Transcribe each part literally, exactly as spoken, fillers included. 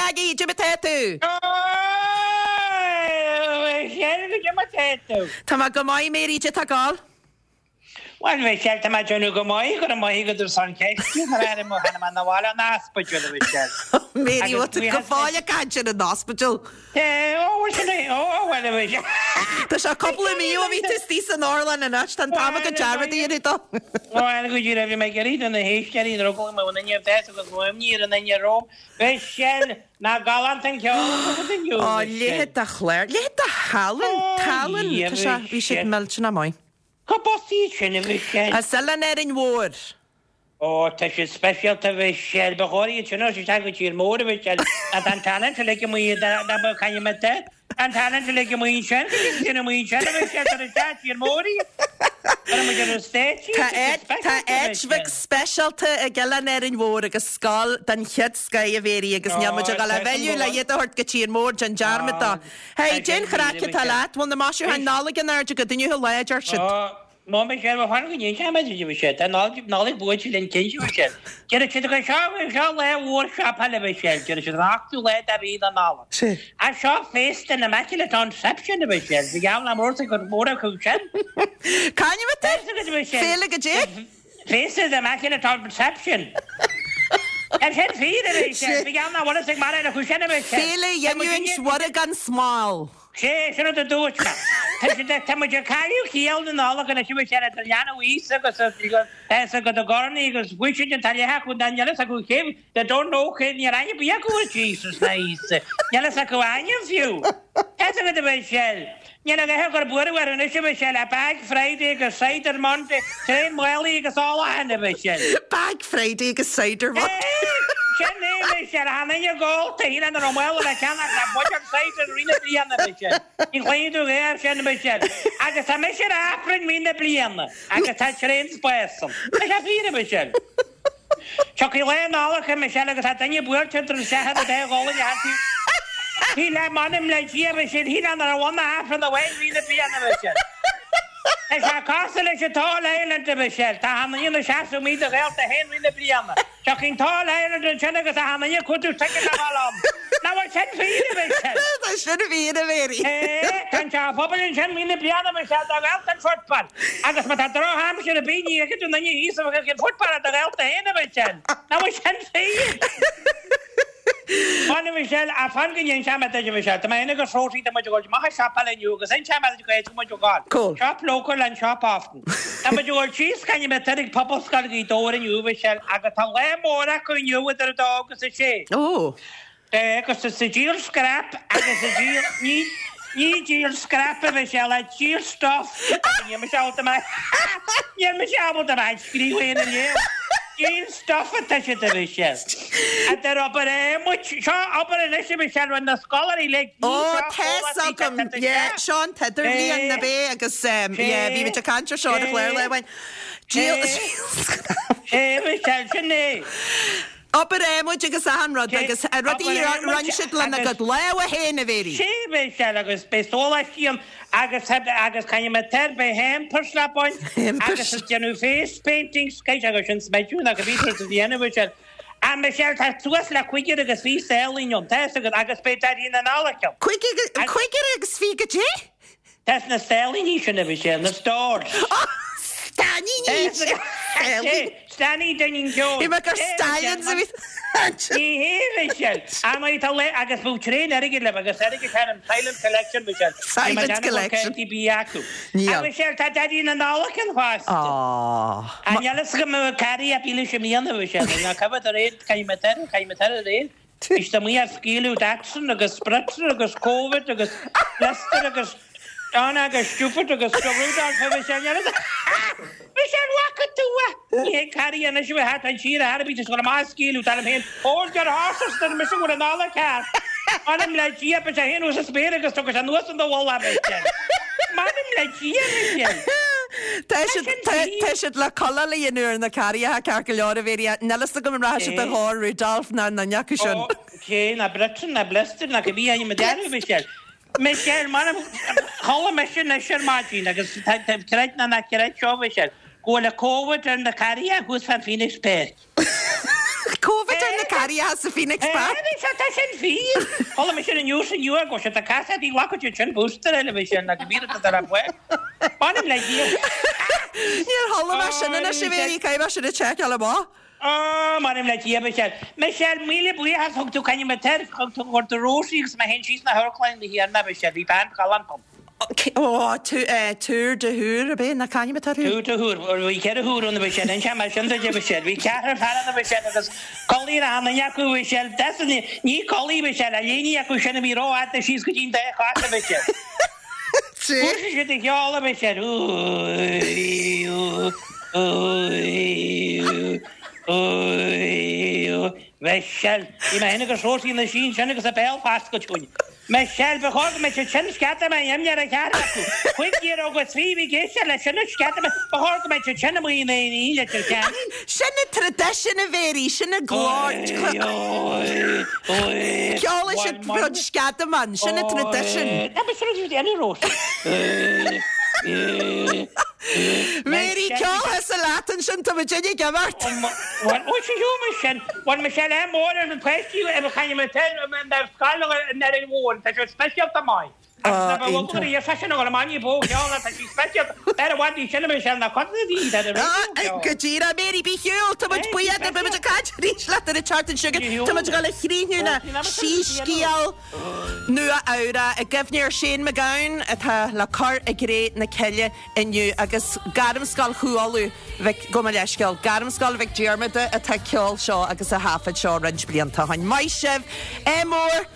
Aggie, goidé mar tá tú? Goidé mar tá tú. Tá mé go maith Mary goidé tá ag gabháil. Well Michelle tá mé ag déanamh go maith go raibh maith agat as an cheist na bhile an ospidéal a Michelle. Mary bhfuil go fóill ag caint ar an ospidéal. Ó well Michelle. Tá sé cúpla mí ó bhí tú istigh san otharlann anois tá an t-am agat dearmad a dhéanamh dó. Well go dtí raibh mé ag iarraidh do na héisteoirí an rugla mé inniu deas agus imní ar an duine romham. Michelle ná galánta an ceol agat inniu. Ó leithéid de chlár, leithéid de thallann, tallann Tá sé bhí siad millteanach maith. Cá b'as iad sin a Michelle? As Oileán Árainn Mhór. Ó tá siad speisialta a Michelle, ba chóir iad sin a thabhairt isteach go tír mór a Michelle. Tá an talent uilig amuigh dá ba caithfidh mé te. An talent uilig amuigh ansin, go dtí sin amuigh ansin a Michelle tar isteach tír mór iad. Cuirfidh muid ar an stage iad, Tá tá siad áit tá speisialta a áit bheag Michelle. speisialta ag Oileán Árainn Mhór agus scoil den chéad scoith a Mhéirí agus níl muid ag Ó dul a tá sin mhilleadh go le maith. iad a thabhairt go tír mór, déan dearmad dó. Ó Hey, tá cén sin chraic fíor a atá Michelle. leat? Bhfuil na maisiúcháin Nollag in airde agat inniu a lá, deir siad. Ó, Mo Michelle, mo fan go ndéanfaidh mé duit a Michelle. Tá Nollaig Nollaig buailte linn cinnte a Michelle. Deir siad go seo seo lá mhór siopaála a Michelle, deir siad an ochtú lá de mhí na Nollag. Sea. Ach seo féasta na Immaculate Conception a Michelle, bhí geall le mór sa gcuid mór acu sin. C'ainm atá air? Tá a fhios agat a Michelle. Féile goidé? Féasta the Immaculate Conception. Ar sin fíor a Michelle, Sea. bhí geall nach bhfuil fhios ag mórán acu sin a Michelle. Féile Tá muid Ghiniúint Mhuire gan Smál. Sé, sin rud a dúirt mé. Tá siad ag, tá muid ag cailleadh ciall na Nollag anois a Michelle idir leanbh Íosa agus a, tá fhios agat i gcornaí agus Washington tá leath acu ná níl fhios acu cé, they don't know cé, níl aithne ar bith acu ar Jesus ná Íosa. Níl fhios acu ainm fiú. Tá fhios agat a Michelle. Níl a dhath ag cur buaireamh orthu anois a Michelle, ach Bag Friday agus Cider Monday, traein málaí agus ólachán a Michelle. Bag Friday agus Cider Monday. Sin é Michelle, chan éinne ag ól, tá shíl an raibh mála le ceannach le buidéal cider i rith na bliana Michelle. Ní chloífidh tú é air sin Michelle. Agus tá mise ar Aifreann i rith na bliana agus tá tréan spáis ann. Tá sé fíor a Michelle. Tiocfaidh lá Nollag a Michelle agus tá duine buailte idir an seachad a dá ghualainn a thacaí. Shíl le m'anam le Dia Michelle, shíl an raibh ann Aifreann amháin i rith na bliana Michelle. Tá sé cosúil leis an All Ireland a Michelle, tá an aon seasamh míle do ghaolta féin i rith na bliana. Tiocfaidh an tAll Ireland ansin agus tá an aon cuartú ticket a fháil ann. Nach bhfuil sin fíor a Michelle? Tá sin fíor a Mhéirí. É, tá an teach pobail ansin i rith na bliana Michelle do ghaolta an football. Agus má tá drochaimsir ar bith ní fheicfidh tú an duine thíos a bheadh ag an football do ghaolta féin a Michelle. Nach bhfuil sin fíor? Fan a Michelle, a fan go ndéanfaidh mé duit a Michelle. Tá mé féin agus Rosie, tá muid ag dul amach ag siopaáil inniu agus inseoidh mé duit cá háit a bhfuil muid ag gabháil. Cool. Shop local and shop often. Tá muid ag dul síos caithfidh mé tar ag Pobalscoil Ghaoth Dobhair inniu a Michelle agus tá lá mór acu inniu idir a dó agus a sé. Ó. É, agus is ag díol scrap agus ag díol, ní, ní díol scrap a Michelle, ach díol stuff. Níl mise ábalta mé, níl mise ábalta mé scríobh aon a léamh. Díol stuff atá siad a Michelle. Idir obair adhmaid, seo obair anois a Michelle, rinne na scoláirí le Ó, tá fhios agam, yeah, seo an t-idirbhliain na bé agus um, yeah, bhí muid ag caint ar seo ar an chlár lá amháin. Díol scrap. É Michelle, sin é. Obair adhmaid agus achan rud agus rudaí a rinne siad lena gcuid lámha féin a Mhéirí. Sé Michelle agus beidh sóláistí ann agus agus caithfidh mé tar beidh hampers le baint agus is déanamh face paintings caithfidh agus sin smideadh nach bhí tú a dhéanamh Michelle. A Michelle tá suas le cúigear agus fiche stailín ann tá fhios agat agus beidh Daidí na Nollag ann. Cúigear agus fiche goidé? Tá na stailíní sin a Michelle, na stores. Stailíní! Stailíní den ceol. Bhí mé gur stallions a bhí Ní hé Michelle. An tá le agus bhú tréan airgid le agus airgid thar an Silent Collection Michelle. Silent Collection. B acu. Níl. A Michelle tá Daidí na Nollag ann fosta. Á. An eile go mbeadh carry a bíle sé míonna Michelle, ná coimh ar réir caithfidh mé tar caithfidh mé tar ar réir. Is tá muid ar scaoileadh Datsun agus Spritzer agus Covid agus Blister agus Donna agus Stupid agus Rudolph a Michelle. Michelle bhfaca tú a? Ní hé carry anois a bheith an siar a tharbí go má scaoileadh tá féin Hold your horses tar mise bhfuil an Nollaig ceart. M'anam le Dia be sé haon sa spéir agus tugadh anuas an do bhalla Michelle. M'anam le Dia Michelle. Tá siad tá siad le codladh le dhéanamh ar na carriacha ceart go leor a Mhéirí. Níl fhios agam an raibh siad a dhá Rudolph ná na acu sin. Ó, cé na Britain na Blister na go bhí ainm dearú Michelle. Michelle m'anam chodlaigh mise anois ar maidin agus creid nó ná creid seo Michelle. Go bhfuil a Covid ar na carriacha thuas fan Phoenix Park. Covid ar na carriacha sa Phoenix Park. Tá sin fíor. Chuala mise an news inniu go sé tá casa bhí glacadh siad sin booster eile bhí sin agus bhí a ar bhfuil. Bainim le Dia. Níor chuala mé sin anois a Mhéirí, caithfidh mé sin a sheiceáil amach. Á, m'anam le Dia, Michelle. Michelle, míle buíochas, thug tú coinne mo toir, thug tú chuir tú rósaí agus mé féin síos na hamharclann na hÉireann, Michelle, bhí bean ghalánta ann. Ó, túr de thúr, ab é? Ná c'ainm atá orthu? Túr de thúr, bhí ceithre thúr ann, Michelle, inse mar sin duit, Michelle, bhí ceathrar fear ann, Michelle, agus codladh ar achan duine acu, Michelle, that's an, ní codladh, Michelle, a léine acu sin a bhí rófhada síos go dtí'n dá chos, Michelle. Thosaigh siad ag ceol, Michelle, úi, úi, úi, úi, úi, Michelle, bhí mé féin agus Róisín ina suí ansin agus a béal foscailte againn. Michelle, ba chóir go mbeadh siad sin scata mé imní ar an cheathrar acu. Cúig fhir agus trí bhí ag éisteacht leis sin scata mé, ba chóir go mbeadh siad sin amuigh in aon aon Leitir Ceanainn. Sin an traidisiún a Mhéirí, sin an glór. Ceolfaidh siad rud sceadamán, sin an traidisiún. Tá mé sure siad ina Rós. Mhéirí, ceol thusa leat ansin, tá muid ag imeacht. Bhuel, ó sí mé sin, bhuel Michelle é mór ar na páistí ar a chaine mé ar scoil an Earraigh Mhóir, tá sé speisialta maith. Ah, Agus na iontach. bhfuil sé sin go maith bó ceol tá sí speisialta. Ar a bhhaidí sin mé sin na cotadaí ar an Ah, raidió. Go díreach, Mary, bí shiúl, tá muid buíoch, beidh muid ag caint arís leat ar an tseachtain seo chugainn. Tá muid ag dul a chríochnú le Síscéal Nua Eabhrac i gcuimhne ar Shane MacGowan atá le cur i gcré na cille inniu agus Gairmscoil Chú Uladh Mhic gabh mo leithscéal, Gairmscoil Mhic Diarmada atá ag ceol seo agus a thaifead seo roinnt blianta ó shin. Maith sibh! Ádh mór!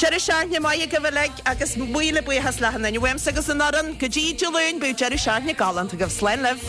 Deireadh seachtaine maith agaibh uilig agus míle buíochas le achan duine uaimse agus an fhoireann. Go dtí Dé Luain, bíodh deireadh seachtaine galánta agaibh. Slán libh!